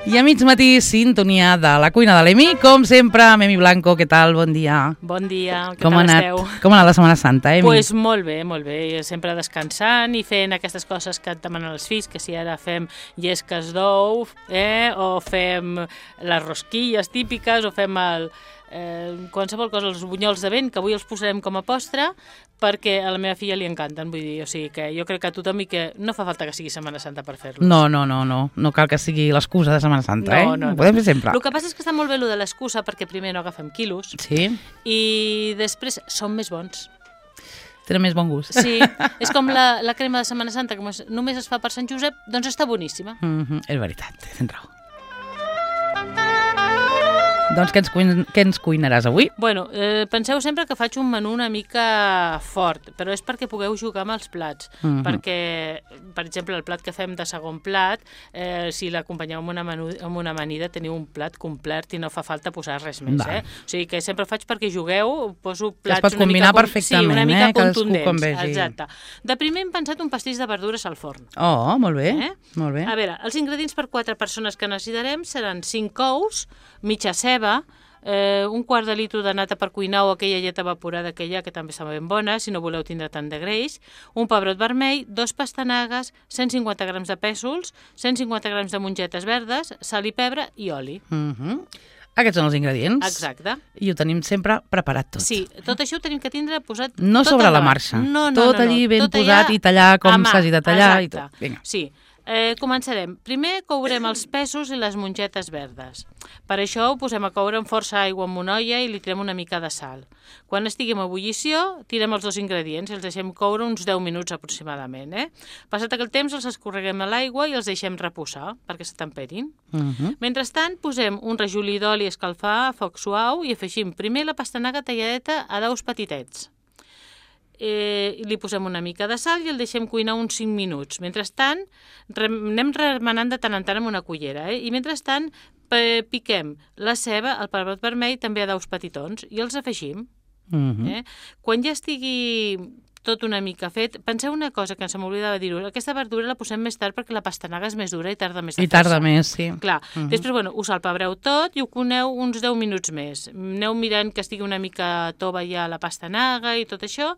I a mig matí, sintonia de la cuina de l'Emi, com sempre, amb Emi Blanco. Què tal? Bon dia. Bon dia, què tal esteu? Com ha anat la Setmana Santa, Emi? Pues molt bé, sempre descansant i fent aquestes coses que et demanen els fills, que si ara fem llesques d'ou, o fem les rosquilles típiques, o fem qualsevol cosa, els bunyols de vent, que avui els posarem com a postre, perquè a la meva filla li encanten, vull dir, o sigui que jo crec que a tothom i que no fa falta que sigui Setmana Santa per fer-los. No cal que sigui l'excusa de Setmana Santa, No. Ho podem fer sempre. El que passa és que està molt bé de l'excusa, perquè primer no agafem quilos, sí, i després són més bons. Tenen més bon gust. Sí, és com la crema de Setmana Santa, que només es fa per Sant Josep, doncs està boníssima. És veritat, tens raó. Doncs què ens cuinaràs avui? Bueno, penseu sempre que faig un menú una mica fort, però és perquè pugueu jugar amb els plats. Perquè, per exemple, el plat que fem de segon plat, si l'acompanyeu amb una amanida, teniu un plat complet i no fa falta posar res més. O sigui que sempre faig perquè jugueu, poso plats es pot combinar perfectament, una mica contundents. Com vegi. Exacte. De primer hem pensat un pastís de verdures al forn. Oh, molt bé. Molt bé. A veure, els ingredients per 4 persones que necessitarem seran 5 ous, mitja ceba, un quart de litre de nata per cuinar o aquella llet evaporada que hi ha, que també està ben bona, si no voleu tindre tant de greix, un pebrot vermell, 2 pastanagues, 150 grams de pèsols, 150 grams de mongetes verdes, sal i pebre i oli. Aquests són els ingredients. Exacte. I ho tenim sempre preparat tot. Sí, tot això ho tenim que tindre posat no tot sobre la marxa. Tot allí ben posat i tallar com s'hagi de tallar i tot. Vinga. Sí. Començarem. Primer courem els pèsols i les mongetes verdes. Per això ho posem a coure amb força aigua amb una olla i li tirem una mica de sal. Quan estiguem a ebullició, tirem els 2 ingredients i els deixem coure uns 10 minuts aproximadament. Passat aquell temps els escorreguem a l'aigua i els deixem reposar perquè s'atemperin. Mentrestant, posem un rajolí d'oli a escalfar a foc suau i afegim primer la pastanaga talladeta a daus petitets. Li posem una mica de sal i el deixem cuinar uns 5 minuts. Mentrestant, anem remenant de tant en tant amb una cullera. I mentrestant, piquem la ceba, el pebrot vermell, també a daus petitons, i els afegim. Quan ja estigui tot una mica fet, penseu una cosa que se m'oblidava dir-ho, aquesta verdura la posem més tard perquè la pastanaga és més dura i tarda més a fer-se. I tarda més, sí. Clar, després, ho salpebreu tot i ho coneu uns 10 minuts més. Aneu mirant que estigui una mica tova ja la pastanaga i tot això,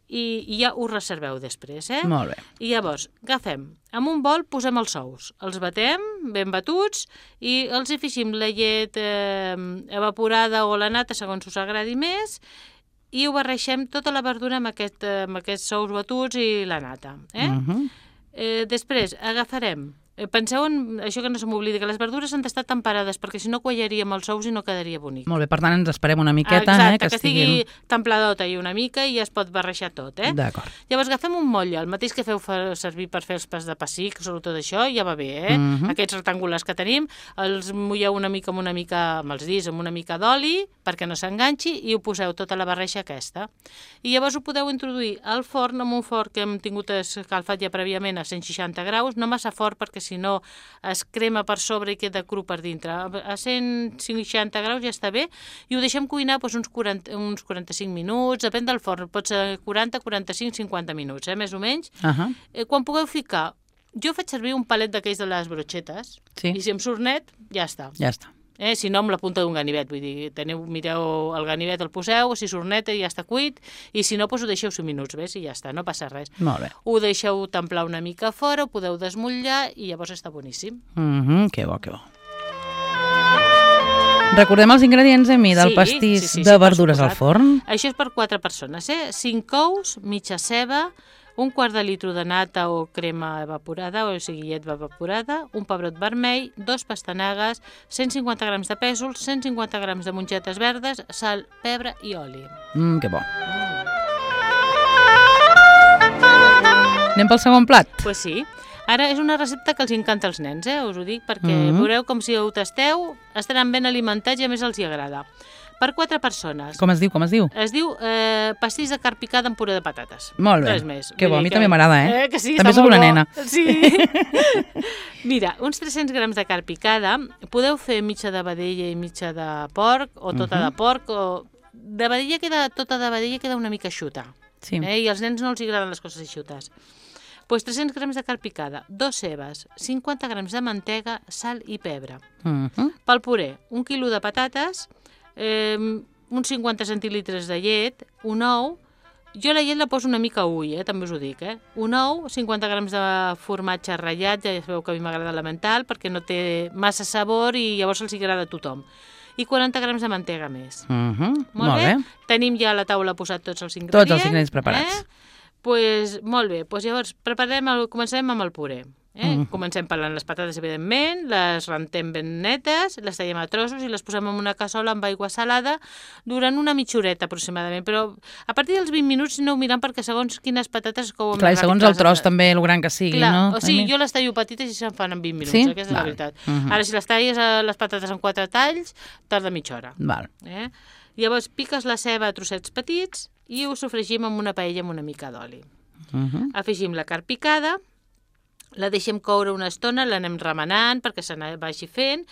i ja ho reserveu després, Molt bé. I llavors, agafem, en un bol posem els ous, els batem ben batuts i els afegim la llet evaporada o la nata, segons us agradi més, i ho barreixem tota la verdura amb aquests ous batuts i la nata. Després agafarem, penseu en això que no se m'oblidi, que les verdures han d'estar temperades perquè si no quallaria amb els ous i no quedaria bonic. Molt bé, per tant ens esperem una miqueta. Exacte, que estigui templadota i una mica i ja es pot barrejar tot. D'acord. Llavors agafem un motlle, el mateix que feu servir per fer els pas de pessic, sobretot això, ja va bé, Aquests rectangulars que tenim, els mulleu una mica amb els dits, amb una mica d'oli, perquè no s'enganxi, i ho poseu tota la barreja aquesta. I llavors ho podeu introduir al forn, amb un forn que hem tingut escalfat ja prèviament a 160 graus, no massa fort perquè si no es crema per sobre i queda cru per dintre. A 160 graus ja està bé i ho deixem cuinar uns 45 minuts, depèn del forn, pot ser 40, 45, 50 minuts, més o menys. Quan pugueu ficar, jo faig servir un palet d'aquells de les brochetes i si em surt net, ja està. Ja està. Si no, amb la punta d'un ganivet, vull dir, mireu el ganivet, el poseu, si surt net ja està cuit, i si no, ho deixeu 5 minuts, ves, i ja està, no passa res. Molt bé. Ho deixeu templar una mica fora, ho podeu desmotllar i llavors està boníssim. Que bo, que bo. Recordem els ingredients, Emi, del pastís de verdures al forn. Això és per 4 persones, 5 ous, mitja ceba, un quart de litre de nata o crema evaporada, o sigui, llet evaporada, un pebrot vermell, 2 pastanagues, 150 grams de pèsols, 150 grams de mongetes verdes, sal, pebre i oli. Que bo. Anem pel segon plat? Pues sí. Ara és una recepta que els encanta als nens, us ho dic, perquè veureu com si ho tasteu, estaran ben alimentats i a més els hi agrada. Per 4 persones. Com es diu? Es diu pastís de carn picada amb puré de patates. Molt bé. Res més. Que bo, a mi també m'agrada, Que sí, també sóc una nena. Sí. Mira, uns 300 grams de carn picada, podeu fer mitja de vedella i mitja de porc, o tota de porc, o de vedella tota de vedella queda una mica eixuta. Sí. I als nens no els agraden les coses eixutes. Doncs 300 grams de carn picada, 2 cebes, 50 grams de mantega, sal i pebre. Pel puré, 1 quilo de patates, uns 50 centilitres de llet, un ou. Jo la llet la poso una mica ull, també us ho dic. Un ou, 50 grams de formatge ratllat, ja sabeu que a mi m'agrada elemental, perquè no té massa sabor i llavors els agrada a tothom. I 40 grams de mantega més. Molt bé? Tenim ja a la taula posat tots els ingredients. Tots els ingredients preparats. Molt bé, llavors començarem amb el puré. Comencem pelant les patates, evidentment, les rentem ben netes, les tallem a trossos i les posem en una cassola amb aigua salada durant una mitja horeta aproximadament, però a partir dels 20 minuts aneu mirant perquè segons quines patates es couen. Clar, i segons el tros també, el gran que sigui, no? O sigui, jo les tallo petites i se'n fan en 20 minuts, aquesta és la veritat. Ara, si les talles les patates en 4 talls, tarda mitja hora. Llavors, piques la ceba a trossets petits i ho sofregim amb una paella amb una mica d'oli. Afegim la carn picada, la deixem coure una estona, l'anem remenant perquè se vagi fent,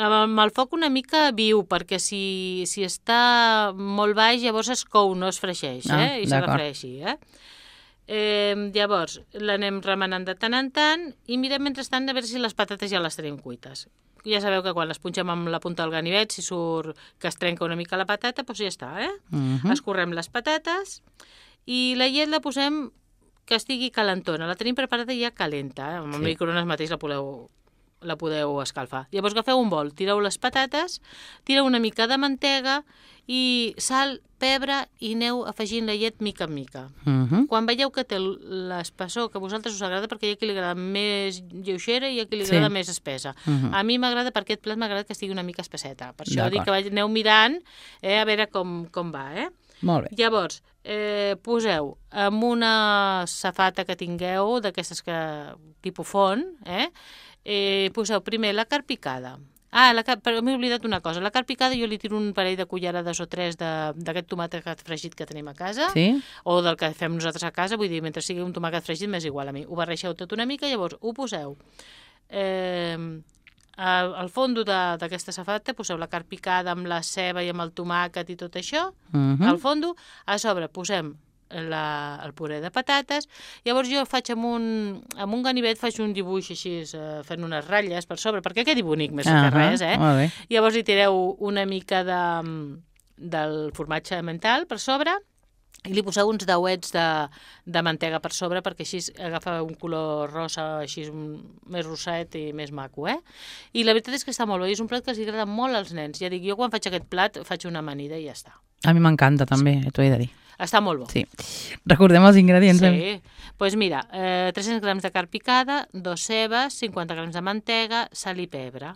amb el foc una mica viu, perquè si està molt baix llavors es cou, no es freixeix, i s'ha de freir així. Llavors l'anem remenant de tant en tant i mirem mentrestant a veure si les patates ja les tenim cuites. Ja sabeu que quan les punxem amb la punta del ganivet, si surt que es trenca una mica la patata, doncs ja està. Escorrem les patates i la llet la posem que estigui calentona. La tenim preparada ja calenta, amb el microones mateix la podeu escalfar. Llavors agafeu un bol, tireu les patates, tireu una mica de mantega i sal, pebre i aneu afegint la llet mica en mica. Quan veieu que té l'espessor que a vosaltres us agrada, perquè hi ha qui li agrada més lleugera i hi ha qui li agrada més espessa. A mi m'agrada, per aquest plat m'agrada que estigui una mica espesseta. Per això dic que aneu mirant a veure com va. Molt bé. Llavors, poseu amb una safata que tingueu, d'aquestes que tipus font, poseu primer la carn picada. Però m'he oblidat una cosa. La carn picada jo li tiro un parell de cullerades o 3 d'aquest tomàquet fregit que tenim a casa, o del que fem nosaltres a casa, vull dir, mentre sigui un tomàquet fregit m'és igual a mi. Ho barregeu tot una mica, llavors ho poseu al fons d'aquesta safata, poseu la carn picada amb la ceba i amb el tomàquet i tot això, al fons, a sobre posem el puré de patates. Llavors jo faig amb un ganivet faig un dibuix així, fent unes ratlles per sobre, perquè quedi bonic més que res. Llavors hi tireu una mica del formatge mental per sobre i li poseu uns dauets de mantega per sobre perquè així agafa un color rosa així més rosset i més maco. I la veritat és que està molt bé, és un plat que els agrada molt als nens. Ja dic, jo quan faig aquest plat faig una amanida i ja està. A mi m'encanta també, t'ho he de dir. Està molt bo. Sí. Recordem els ingredients. Sí. Doncs mira, 300 grams de carn picada, 2 cebes, 50 grams de mantega, sal i pebre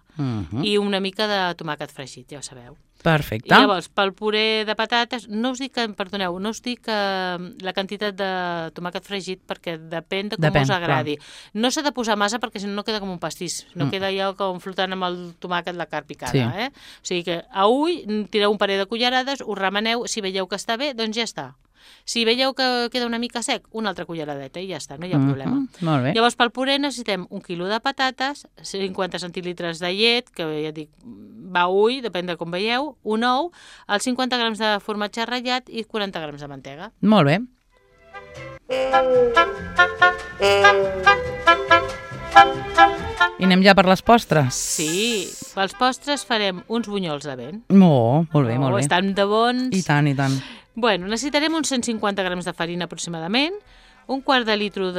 i una mica de tomàquet fregit, ja ho sabeu. Perfecte. I llavors, pel puré de patates, no us dic la quantitat de tomàquet fregit perquè depèn de com us agradi. No s'ha de posar massa perquè si no queda com un pastís, no queda allò com flotant amb el tomàquet la carn picada. O sigui que a ull tireu un parell de cullerades, ho remeneu, si veieu que està bé, doncs ja està. Si veieu que queda una mica sec, una altra culleradeta i ja està, no hi ha problema. Molt bé. Llavors, pel puré necessitem 1 quilo de patates, 50 centilitres de llet, que ja dic, va a ull, depèn de com veieu, un ou, els 50 grams de formatge ratllat i 40 grams de mantega. Molt bé. I anem ja per les postres. Sí, pels postres farem uns bunyols de vent. Molt bé, molt bé. Estan de bons. I tant, i tant. Bueno, necessitarem uns 150 grams de farina aproximadament, un quart de litre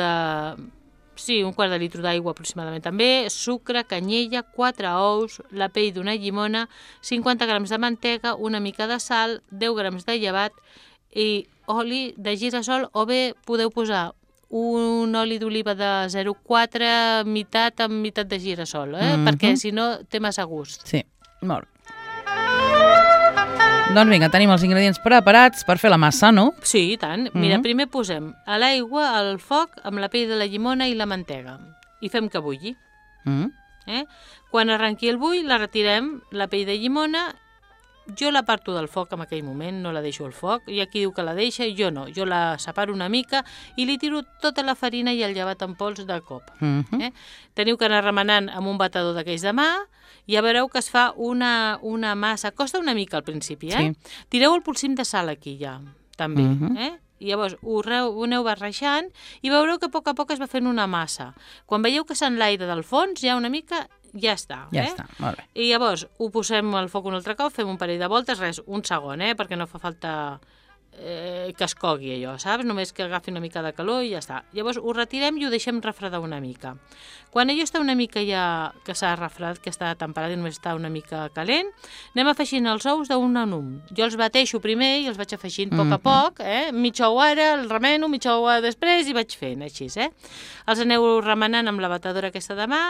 d'aigua aproximadament també, sucre, canyella, 4 ous, la pell d'una llimona, 50 grams de mantega, una mica de sal, 10 grams de llevat i oli de girassol, o bé podeu posar un oli d'oliva de 0,4 meitat amb meitat de girassol, perquè si no té massa gust. Sí, molt bé. Doncs vinga, tenim els ingredients preparats per fer la massa, no? Sí, i tant. Mira, primer posem a l'aigua al foc amb la pell de la llimona i la mantega i fem que bulli. Quan arrenqui el bull, la retirem, la pell de llimona. Jo la parto del foc en aquell moment, no la deixo al foc. Hi ha qui diu que la deixa, jo no. Jo la separo una mica i li tiro tota la farina i el llevat en pols de cop. Teniu que anar remenant amb un batedor d'aquells de mà. Ja veureu que es fa una massa. Costa una mica al principi, Sí. Tireu el polsim de sal aquí ja, també. I llavors ho aneu barrejant i veureu que a poc es va fent una massa. Quan veieu que s'enlaira del fons, ja una mica, ja està. Ja està, molt bé. I llavors ho posem al foc un altre cop, fem un parell de voltes, un segon, perquè no fa falta que es cogui allò, saps? Només que agafi una mica de calor i ja està. Llavors ho retirem i ho deixem refredar una mica. Quan allò està una mica ja que s'ha refredat, que està temperat i només està una mica calent, anem afegint els ous d'un en un. Jo els bateixo primer i els vaig afegint a poc a poc, mitja ou ara, el remeno, mitja ou després i vaig fent així, Els aneu remenant amb la batedora aquesta de mà,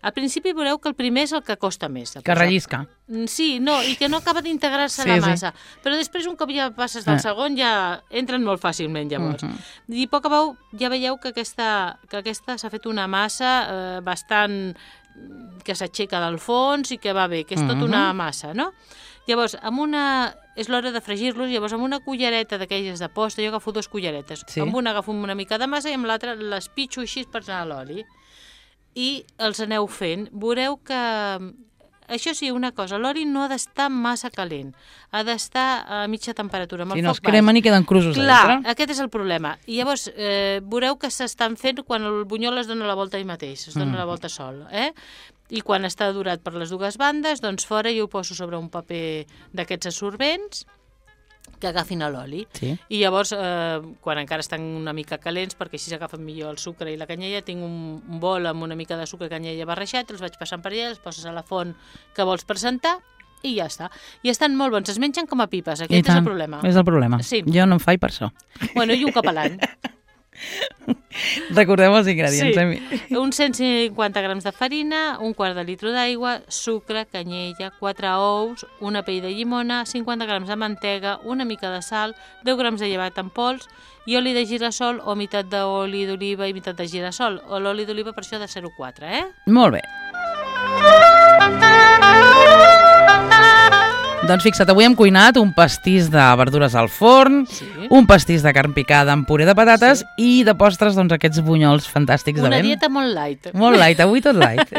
Al principi veureu que el primer és el que costa més. Que rellisca. Sí, no, i que no acaba d'integrar-se la massa. Però després, un cop ja passes del segon, ja entren molt fàcilment, llavors. I a poc a poc ja veieu que aquesta s'ha fet una massa bastant que s'aixeca del fons i que va bé, que és tot una massa, no? Llavors, és l'hora de fregir-los, llavors amb una cullereta d'aquelles de posta, jo agafo 2 culleretes, amb una agafo una mica de massa i amb l'altra les pitxo així per anar a l'oli. I els aneu fent. Veureu que... Això sí, una cosa, l'oli no ha d'estar massa calent, ha d'estar a mitja temperatura, amb el foc baix. Si no es cremen i queden crusos a dintre. Clar, aquest és el problema. I llavors veureu que s'estan fent quan el bunyol es dona la volta ell mateix, es dona la volta sol, I quan està durat per les dues bandes, doncs fora jo ho poso sobre un paper d'aquests absorbents que agafin l'oli. Sí. I llavors, quan encara estan una mica calents, perquè així s'agafen millor el sucre i la canyella, tinc un bol amb una mica de sucre i canyella barrejat, els vaig passant per allà, els poses a la font que vols presentar i ja està. I estan molt bons, es mengen com a pipes, aquest és el problema. És el problema. Sí. Jo no em faig per això. Bueno, i un cop a l'any. Recordem els ingredients. Sí. Uns 150 grams de farina, un quart de litre d'aigua, sucre, canyella, 4 ous, una pell de llimona, 50 grams de mantega, una mica de sal, 10 grams de llevat en pols i oli de girassol o meitat d'oli d'oliva i meitat de girassol. O l'oli d'oliva per això de 0,4, Molt bé. Doncs fixa't, avui hem cuinat un pastís de verdures al forn, un pastís de carn picada amb puré de patates i de postres, doncs, aquests bunyols fantàstics de vent. Una dieta molt light. Molt light, avui tot light.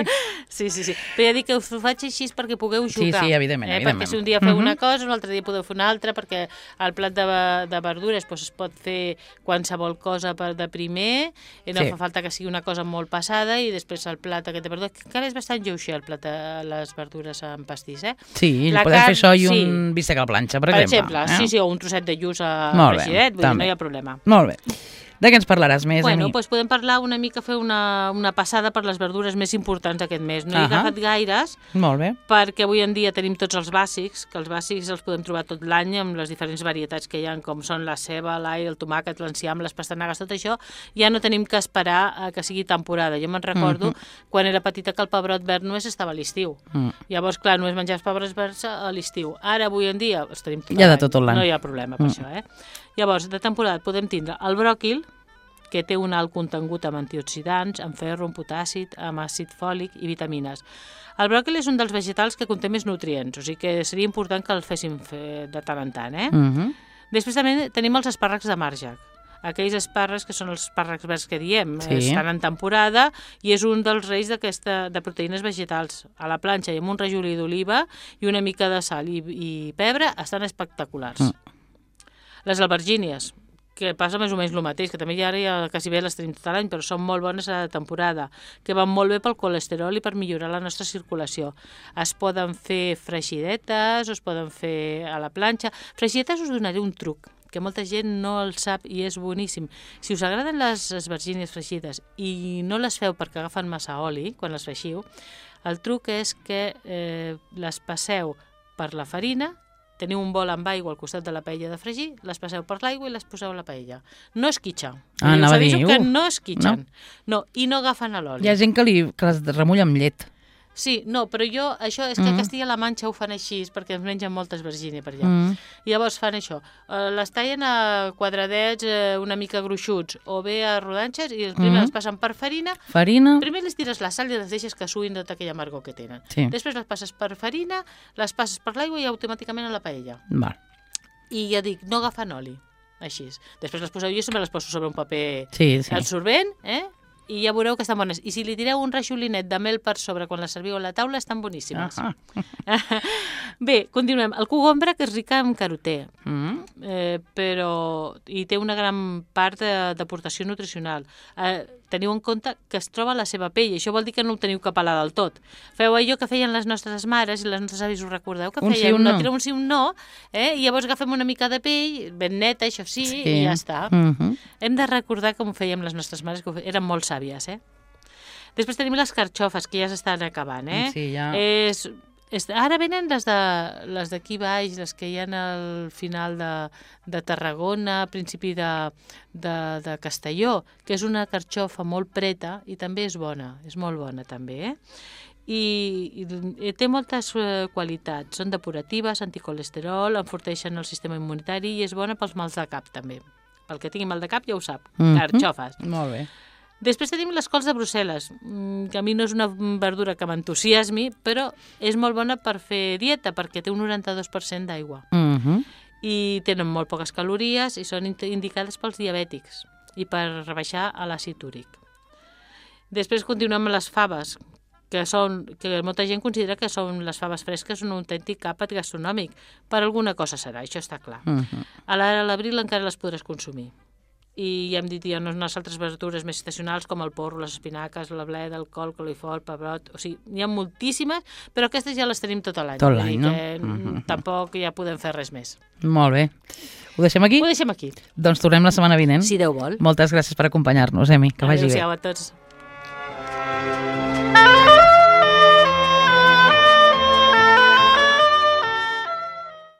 Sí. Però ja dic que us ho faig així perquè pugueu jugar. Sí, evidentment. Perquè si un dia feu una cosa, un altre dia podeu fer una altra, perquè el plat de verdures es pot fer qualsevol cosa de primer, no fa falta que sigui una cosa molt passada, i després el plat aquest de verdures, que encara és bastant lleuger el plat de les verdures amb pastís, Sí, podem fer això i un bistec a la planxa, per exemple. Sí, o un trosset de lluç regiret, vull dir, no hi ha problema. Molt bé. De què ens parlaràs més, Bueno, doncs podem parlar una mica, fer una passada per les verdures més importants aquest mes. No he agafat gaires, molt bé, perquè avui en dia tenim tots els bàsics, que els bàsics els podem trobar tot l'any amb les diferents varietats que hi ha, com són la ceba, l'all, el tomàquet, l'enciam, les pastanagues, tot això. Ja no tenim que esperar que sigui temporada. Jo me'n recordo quan era petita que el pebrot verd només estava a l'estiu. Llavors, clar, només menjaves pebrots verds a l'estiu. Ara, avui en dia, els tenim tot l'any. Tot l'any. No hi ha problema per això, Llavors, de temporada podem tindre el bròquil, que té un alt contingut amb antioxidants, amb ferro, amb potàssid, amb àcid fòlic i vitamines. El bròquil és un dels vegetals que conté més nutrients, o sigui que seria important que el féssim de tant en tant, Després també tenim els espàrrecs de marge. Aquells espàrrecs que són els espàrrecs verds que diem, estan en temporada i és un dels reis de proteïnes vegetals. A la planxa i amb un rajolí d'oliva i una mica de sal i pebre estan espectaculars. Les albergínies, que passa més o menys el mateix, que també ara quasi bé les tenim tot l'any, però són molt bones a la temporada, que van molt bé pel colesterol i per millorar la nostra circulació. Es poden fer freixidetes, o es poden fer a la planxa. Freixidetes us donaré un truc, que molta gent no el sap i és boníssim. Si us agraden les albergínies freixides i no les feu perquè agafen massa oli quan les freixiu, el truc és que les passeu per la farina, teniu un bol amb aigua al costat de la paella de fregir, les passeu per l'aigua i les poseu a la paella. No esquitxa. Us aviso que no esquitxen. No, i no agafen l'oli. Hi ha gent que les remulla amb llet. Sí, no, però això és que a Castilla-La Manxa ho fan així, perquè ens mengen moltes albergínies per allà. I llavors fan això, les tallen a quadradets una mica gruixuts, o bé a rodanxes, i primer les passen per farina. Primer les tires la sal i les deixes que suïn tota aquella amargor que tenen. Després les passes per farina, les passes per l'aigua i automàticament a la paella. I ja dic, no agafen oli, així. Després les poseu, jo sempre les poso sobre un paper absorbent, i ja veureu que estan bones. I si li tireu un rajolinet de mel per sobre quan les serviu a la taula, estan boníssimes. Bé, continuem. El cogombre, que és rica en carotè, però hi té una gran part d'aportació nutricional. Teniu en compte que es troba a la seva pell, això vol dir que no ho teniu que pelar del tot. Feu allò que feien les nostres mares i les nostres avis, us recordeu? Que un feien sí, un no. un sí, un no, i llavors agafem una mica de pell, ben neta, això sí, i ja està. Hem de recordar com ho fèiem les nostres mares, que eren molt sàvies, Després tenim les carxofes, que ja s'estan acabant, Sí, ja. Ara venen les d'aquí baix, les que hi ha al final de Tarragona, a principi de Castelló, que és una carxofa molt preta i també és bona, és molt bona també, I té moltes qualitats, són depuratives, anticolesterol, enforteixen el sistema immunitari i és bona pels mals de cap també. Pel que tingui mal de cap ja ho sap, carxofes. Molt bé. Després tenim les cols de Brussel·les, que a mi no és una verdura que m'entusiasmi, però és molt bona per fer dieta, perquè té un 92% d'aigua. I tenen molt poques calories i són indicades pels diabètics i per rebaixar l'àcid úric. Després continuem amb les faves, que molta gent considera que les faves fresques un autèntic àpat gastronòmic. Per alguna cosa serà, això està clar. A l'abril encara les podràs consumir. I ja hem dit, hi ha unes altres verdures més estacionals com el porro, les espinaques, la bleda, el col, coliflor, pebrot... O sigui, n'hi ha moltíssimes, però aquestes ja les tenim tot l'any. Tot l'any, no? Tampoc ja podem fer res més. Molt bé. Ho deixem aquí? Ho deixem aquí. Doncs tornem la setmana vinent. Si Déu vol. Moltes gràcies per acompanyar-nos, Emi. Que vagi bé. Adéu-siau a tots.